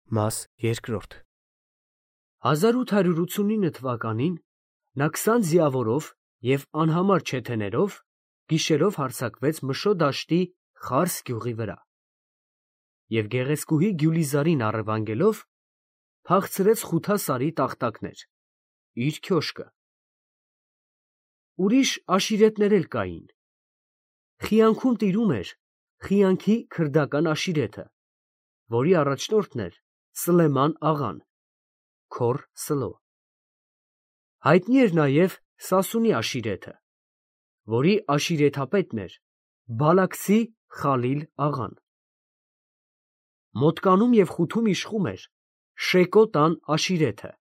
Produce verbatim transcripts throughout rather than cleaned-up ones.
Մաս երկրորդ հազար ութ հարյուր ութսունինը թվականին նա քսան ձիավորով և անհամար չեթեներով գիշերով հարձակվեց Մշո դաշտի Խարս գյուղի վրա և գեղեցկուհի Գյուլիզարին առևանգելով փախցրեց Խութասարի տախտակներ, իր քյոշկը։ Ուրիշ աշիրետներ էլ կային. Խիանքում տիրում էր Խիանքի քրդական աշիրեթը, որի առաջնորդն էր Սլեման աղան, քոռ Սլո։ Հայտնի էր նաև Սասունի աշիրեթը, որի աշիրեթապետն էր Բալաքսի Խալիլ աղան։ Մոտկանում և Խութում իշխում էր Շեկո տան աշիրեթը։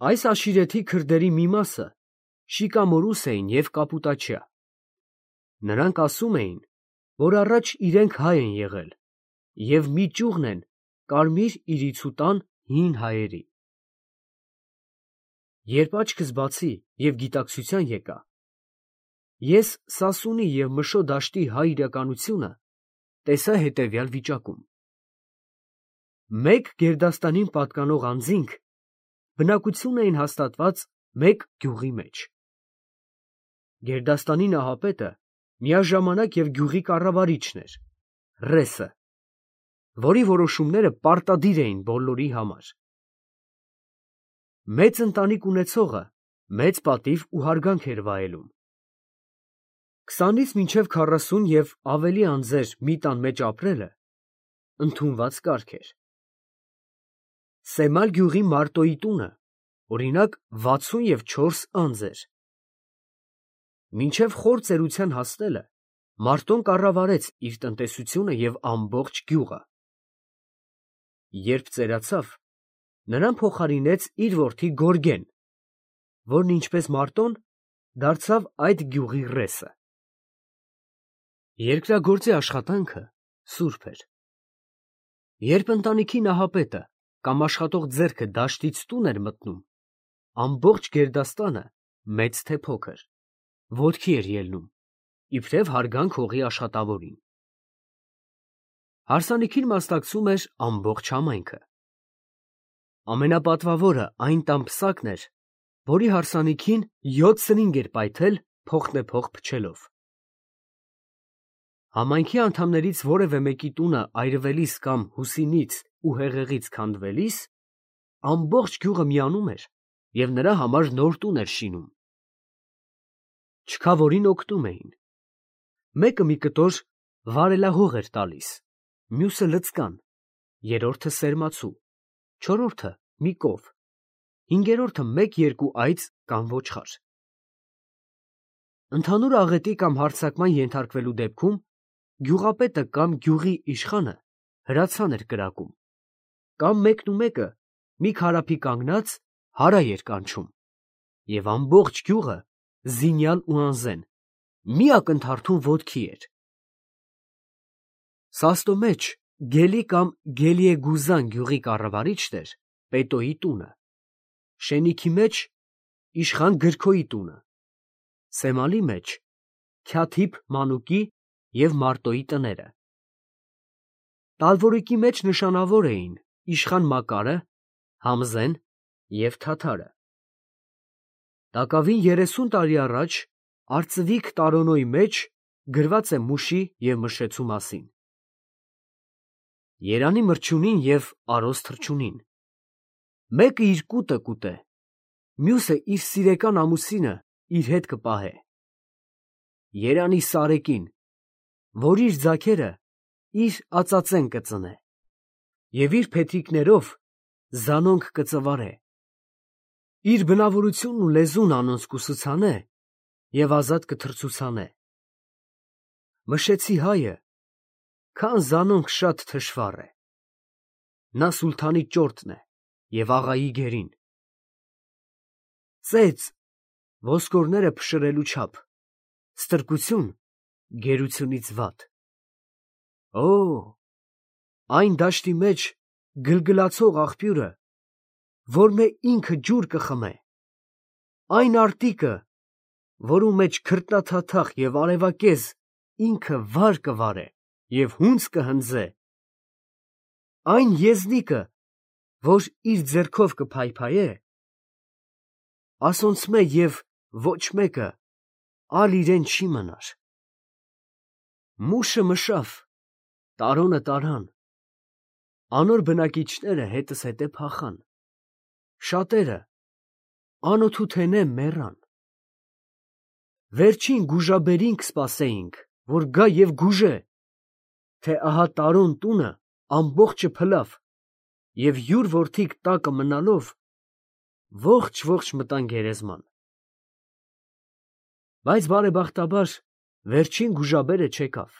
Այս աշիրեթի քրդերի մի մասը շիկամորուս էին և կապուտաչյա։ Նրանք ասում էին, որ առաջ իրենք հայ են եղել և մի ճյուղն են Կարմիր իրիցուտան հին հայերի։ Երբ աչքս բացի և գիտակցության եկա, ես Սասունի և Մշո դաշտի հայ իրականությունը տեսա հետևյալ վիճակում. Մեկ գերդաստանին պատկանող անձինք բնակություն էին հաստատված մեկ գյուղի մեջ։ Գերդաստանի նահապետը միաժամանակ և գյուղի կառավարիչն էր, ռեսը, որի որոշումները պարտադիր էին բոլորի համար։ Մեծ ընտանիք ունեցողը մեծ պատիվ ու հարգանք էր վայելում։ Քսանից մինչև քառասուն և ավելի անձեր մի տան մեջ ապրելը ընդունված կարգ էր։ Սեմալ գյուղի Մարտոյի տունը, օրինակ, վաթսուն և չորս անձ էր։ Մինչև խոր ծերության հասնելը Մարտոն կառավարեց իր տնտեսությունը և ամբողջ գյուղը։ Երբ ծերացավ, նրան փոխարինեց իր որդի Գորգեն, որն ինչպես Մարտոն դարձավ այդ գյուղի ռեսը։ Երկրագործի աշխատանքը սուրբ էր։ Երբ ընտանիքի նահապետը կամ աշխատող ձեռքը դաշտից տուն էր մտնում, ամբողջ գերդաստանը, մեծ թե փոքր, ոտքի էր ելնում, իբրև հարգանք հողի աշխատավորին։ Հարսանիքին մասնակցում էր ամբողջ համայնքը։ Ամենապատվավորը այն տան պսակն էր, որի հարսանիքին յոթ սրինգ էր պայթել փոխնեփոխ փչելով։ Համայնքի անդամներից որևէ մեկի տունը այրվելիս կամ հուսինից ու հեղեղից քանդվելիս, ամբողջ գյուղը միանում էր և նրա համար նոր տուն էր շինում։ Չքավորին օգնում էին։ Մեկը մի կտոր վարելահող էր տալիս, մյուսը լցկան, երրորդը սերմացու, չորրորդը մի կով, հինգերորդը մեկ֊երկու այծ կամ ոչխար։ Ընդհանուր աղետի կամ հարձակման ենթարկվելու դեպքում գյուղապետը կամ գյուղի իշխանը հրացան էր կրակում, կամ մեկնումեկը մի քարափի կանգնած հարա էր կանչում, և ամբողջ գյուղը զինյալ ու անզեն մի ակնթարթում ոտքի էր։ Սաստո մեջ Գելի կամ Գելիեգուզան գյուղի կառավարիչն էր Պետոյի տունը, Շենիքի մեջ իշխան Գրքոյի տունը, Սեմալի մեջ Քյաթիփ Մանուկի և Մարտոյի տները։ Տալվորիկի մեջ նշանավոր էին իշխան Մակարը, Համզեն և Թաթարը։ Տակավին երեսուն տարի առաջ արծվիկ Տարոնոյի մեջ գրված է Մուշի և Մշեցու մասին։ Երանի մրջունին և արոս թռչունին, մեկը իր կուտը կուտե, մյուսը իր սիրեկան ամուսինը իր հետ կպահե։ Երանի Սարեկին, որ իր ձագերը իր ածածեն կծնե և իր փեթրիկներով զանոնք կծվարե, իր բնավորությունն ու լեզուն անոնց կուսուցանե և ազատ կթռցուցանե։ Մշեցի հայը քան զանոնք շատ թշվառ է, նա սուլթանի ճորտն է և աղայի գերին։ Ծեծ, ոսկորները փշրելու չափ, ստրկություն գերությունից վատ։ Օ, այն դաշտի մեջ գլգլացող աղբյուրը, որ մե ինքը ջուր կխմե, այն արտիկը, որու մեջ քրտնաթաթախ և արևակեզ ինքը վար կվարե և հունձ կհնձե, այն եզնիկը, որ իր ձեռքով կփայփայե, ասոնցմե և ոչ մեկը ալ իրեն չի մնար։ Մուշը մշավ, տարոնը տարան, անոր բնակիչները հետս հետե փախան, շատերը անօթութենե մեռան։ Վերջին գուժաբերին կսպասեինք, որ գա և գուժե, թե ահա տարոն տունը ամբողջը փլավ, և յուր որդիք տակը մնալով, ողջ-ողջ մտան գերեզման։ Բայց բարեբախտաբար վերջին գուժաբերը չեկավ։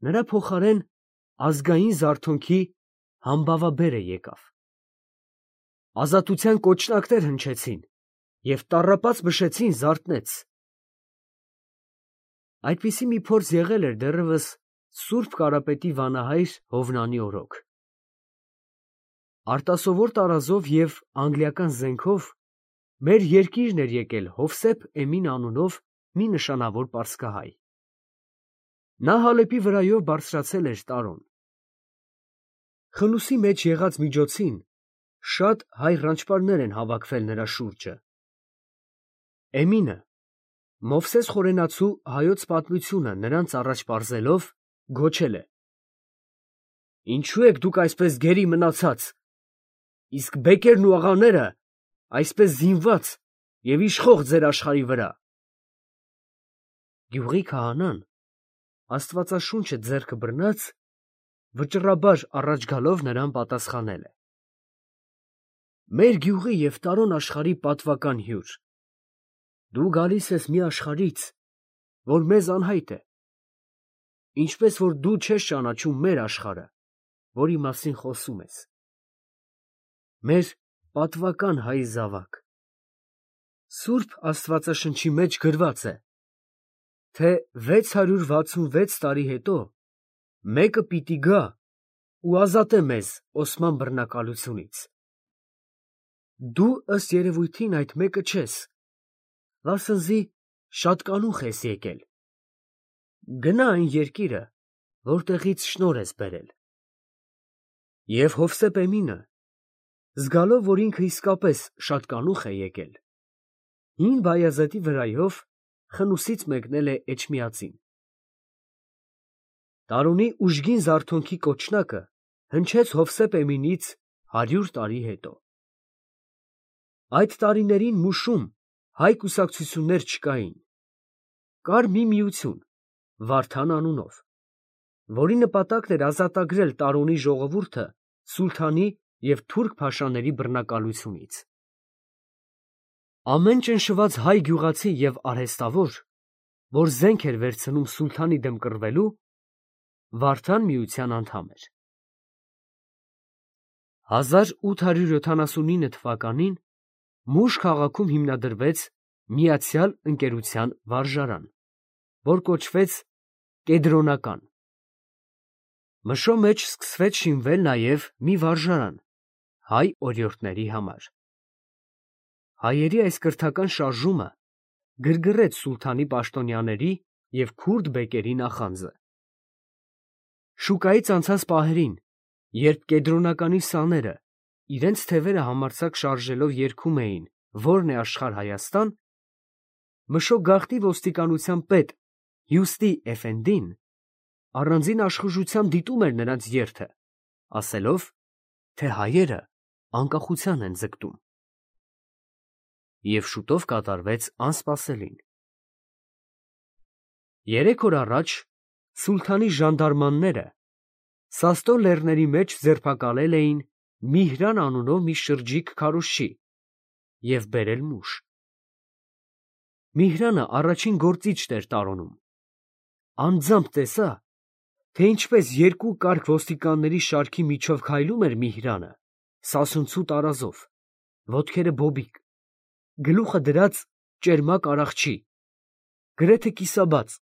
Նրա փոխարեն ազգային զարթոնքի համբավաբերը եկավ։ Ազատության կոչնակներ հնչեցին և տառապած մշեցին զարթնեց։ Այդպիսի մի փորձ եղել էր դեռևս Սուրբ Կարապետի վանահայր Հովնանի օրոք։ Արտասովոր տարազով և անգլիական զենքով մեր երկիրն էր եկել Հովսեփ Էմին անունով մի նշանավոր պարսկահայ։ Նա Հալեպի վրայով բարձրացել էր տարոն։ Խնուսի մեջ եղած միջոցին շատ հայ ռանչպարներ են հավաքվել նրա շուրջը։ Էմինը, Մովսես խորենացու հայոց պատմությունը նրանց առաջ պարզելով, գոչել է. «Ինչո՞ւ եք դուք այսպես գերի մնացած, իսկ բեկերն ու աղաները այսպես զինված և իշխող ձեր աշխարհի վրա»։ Գյուղի քահանան, աստվածաշունչը ձեռքը բռնած, վճռաբար առաջ գալով նրան պատասխանել է. «Մեր գյուղի և տարոն աշխարհի պատվական հյուր, դու գալիս ես մի աշխարհից, որ մեզ անհայտ է, ինչպես որ դու չես ճանաչում մեր աշխարհը, որի մասին խոսում ես։ Մեր պատվական հայ զավակ, Սուրբ Աստվածաշնչի մեջ գրված է, թե վեց հարյուր վաթսունվեց տարի հետո մեկը պիտի գա ու ազատե մեզ Օսման բռնակալությունից։ Դու ըստ երևույթին այդ մեկը չես, վասնզի շատ կանուխ ես եկել։ Գնա այն երկիրը, որտեղից շնորհ ես բերել»։ Եվ Հովսեփ Էմինը, զգալով, որ ինքը իսկապես շատ կանուխ է եկել, հին Բայազեդի վրայով խնուսից մեկնել է Էջմիածին։ Տարոնի ուժգին զարթոնքի կոչնակը հնչեց Հովսեփ Էմինից հարյուր տարի հետո։ Այդ տարիներին Մուշում հայ կուսակցություններ չկային։ Կար մի միություն, Վարդան անունով, որի նպատակն էր ազատագրել տարոնի ժողովուրդը սուլթանի և թուրք փաշաների բռնակալությունից։ Ամեն ճնշված հայ գյուղացի և արհեստավոր, որ զենք էր վերցնում սուլթանի դեմ կռվելու, Վարդան միության անդամ էր։ հազար ութ հարյուր յոթանասունինը թվականին Մուշ քաղաքում հիմնադրվեց Միացյալ Ընկերության վարժարան, որ կոչվեց Կեդրոնական։ Մշո մեջ սկսվեց շինվել նաև մի վարժարան հայ օրիորդների համար։ Հայերի այս կրթական շարժումը գրգռեց սուլթանի պաշտոնյաների և քուրդ բեկերի նախանձը։ Շուկայից անցած պահերին, երբ Կեդրոնականի սաները իրենց թևերը համարձակ շարժելով երգում էին «Ո՞րն է աշխարհ Հայաստան», Մշո գաղտնի ոստիկանության պետ Հյուստի Էֆենդին առանձին աշխուժությամբ դիտում էր նրանց երթը, ասելով, թե հայերը անկախության են ձգտում։ Եվ շուտով կատարվեց անսպասելին։ Երեք օր առաջ սուլթանի ժանդարմանները Սաստո լեռների մեջ ձերբակալել էին Միհրան անունով մի շրջիկ քարոզչի և բերել Մուշ։ Միհրանը առաջին գործիչն էր տարոնում։ Անձամբ տեսա, թե ինչպես երկու կարգ ոստիկանների շարքի միջով քայլում էր Միհրանը սասունցու տարազով, ոտքերը բոբիկ, գլուխը դրած ճերմակ արախչի, գրեթե կիսաբաց,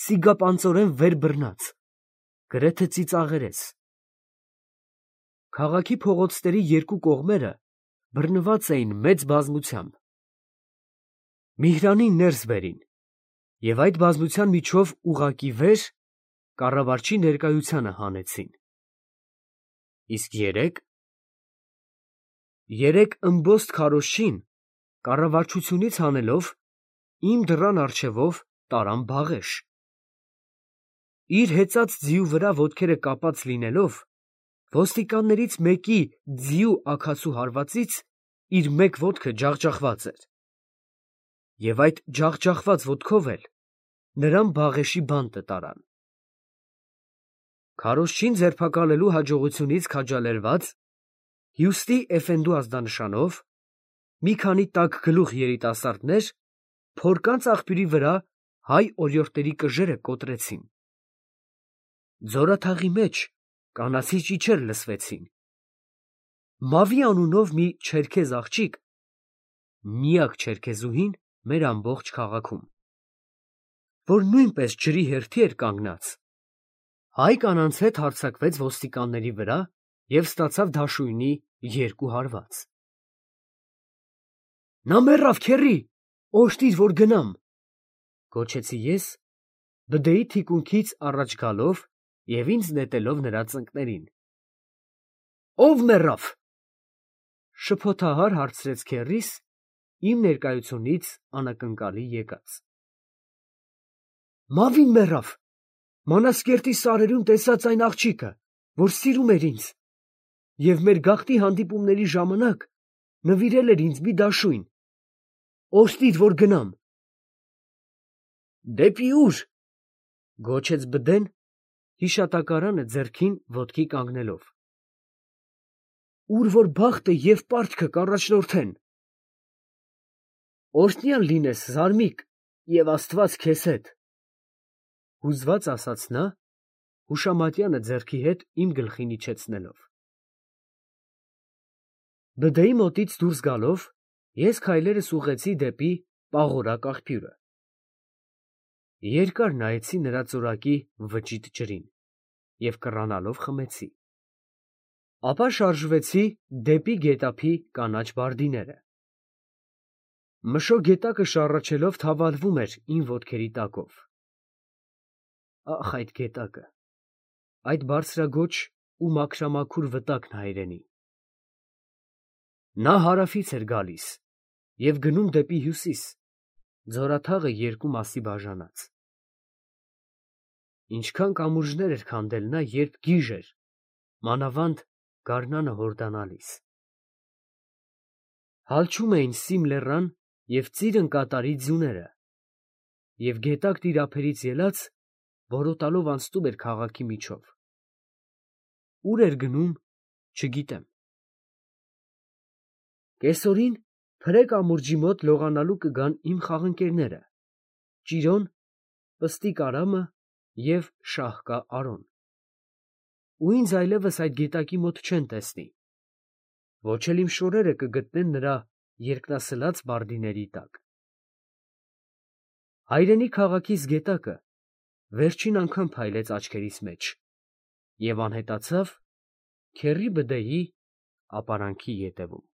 սիգապանծորեն վեր բռնած, գրեթե ծիծաղերես։ Քաղաքի փողոցների երկու կողմերը բռնված էին մեծ բազմությամբ։ Միհրանին ներս բերին և այդ բազմության միջով ուղղակի վեր կառավարչի ներկայությանը հանեցին։ Իսկ երեք։ Երեք ըմբոստ քարոզչին կառավարչությունից հանելով իմ դռան առջևով տարան բաղեշ։ Իր հեծած ձիու վրա ոտքերը կապած լինելով, ոստիկաններից մեկի ձիու աքացու հարվածից իր մեկ ոտքը ջախջախված էր, և այդ ջախջախված ոտքով էլ նրան բաղեշի բանտը տարան։ Քարոզչին ձերբակալելու հաջողությունից քաջալերված, հյուստի էֆենդու ազդանշանով, մի քանի տաքգլուխ երիտասարդներ փորկանց աղբյուրի վրա հայ օրիորդների կժերը կոտրեցին։ Ձորաթաղի մեջ կանացի ճիչեր լսվեցին։ Մավի անունով մի չերքեզ աղջիկ, միակ չերքեզուհին մեր ամբողջ քաղաքում, որ նույնպես ջրի հերթի էր կանգնած, հայ կանանց հետ հարձակվեց ոստիկանների վրա և ստացավ դաշույնի երկու հարված։ «Նա մեռավ, քեռի, օժտիր, որ գնամ», գոչեցի ես, բդեի թիկունքից առաջ գալով և ինձ նետելով նրա ծնկներին։ «Ո՞վ մեռավ», շփոթահար հարցրեց քեռիս, իմ ներկայությունից անակնկալի եկած։ «Մավին մեռավ, Մանազկերտի սարերում տեսած այն աղջիկը, որ սիրում էր ինձ և մեր գաղթի հանդիպումների ժամանակ նվիրել էր ինձ մի դաշույն, օժտիր, որ գնամ»։ «Դեպի ո՞ւր», գոչեց բդեն, հիշատակարանը ձեռքին ոտքի կանգնելով։ «Ուր որ բախտը և պարտքը կառաջնորդեն»։ «Օրհնյալ լինես, զարմիկ, և Աստված քեզ հետ», հուզված ասաց նա, հուշամատյանը ձեռքի հետ իմ գլխին իջեցնելով։ Բդեի մոտից դուրս գալով, ես քայլերս ուղղեցի դեպի պաղորակ աղբյուրը։ Երկար նայեցի նրա ծորակի վճիտ ջրին և կռանալով խմեցի։ Ապա շարժվեցի դեպի գետափի կանաչ բարդիները։ Մշո գետակը շառաչելով թավալվում էր իմ ոտքերի տակով։ Ախ, այդ գետակը, այդ բարձրագոչ ու մաքրամաքուր վտակն հայրենի։ Նա հարավից էր գալիս և գնում դեպի հյուսիս, ձորաթաղը երկու մասի բաժանած։ Ինչքան կամուրջներ էր քանդել նա, երբ գիժ էր, մանավանդ գարնանը հորդանալիս։ Հալչում էին Սիմ լեռան և ծիրն կատարի ձյուները, և գետակ տիրափերից ելած որոտալով անցնում էր քաղաքի միջով։ Ուր էր գնում, չգիտեմ։ Կեսօրին Փրե կամուրջի մոտ լողանալու կգան իմ խաղընկերները՝ Ճիրոն, Պստիկ Արամը և Շահկա Արոն, ու ինձ այլևս այդ գետակի մոտ չեն տեսնի, ոչ էլ իմ շորերը կգտնեն նրա երկնասլաց բարդիների տակ։ Հայրենի քաղաքիս գետակը վերջին անգամ փայլեց աչքերիս մեջ և անհետացավ քեռի բդեի ապարանքի ետևում։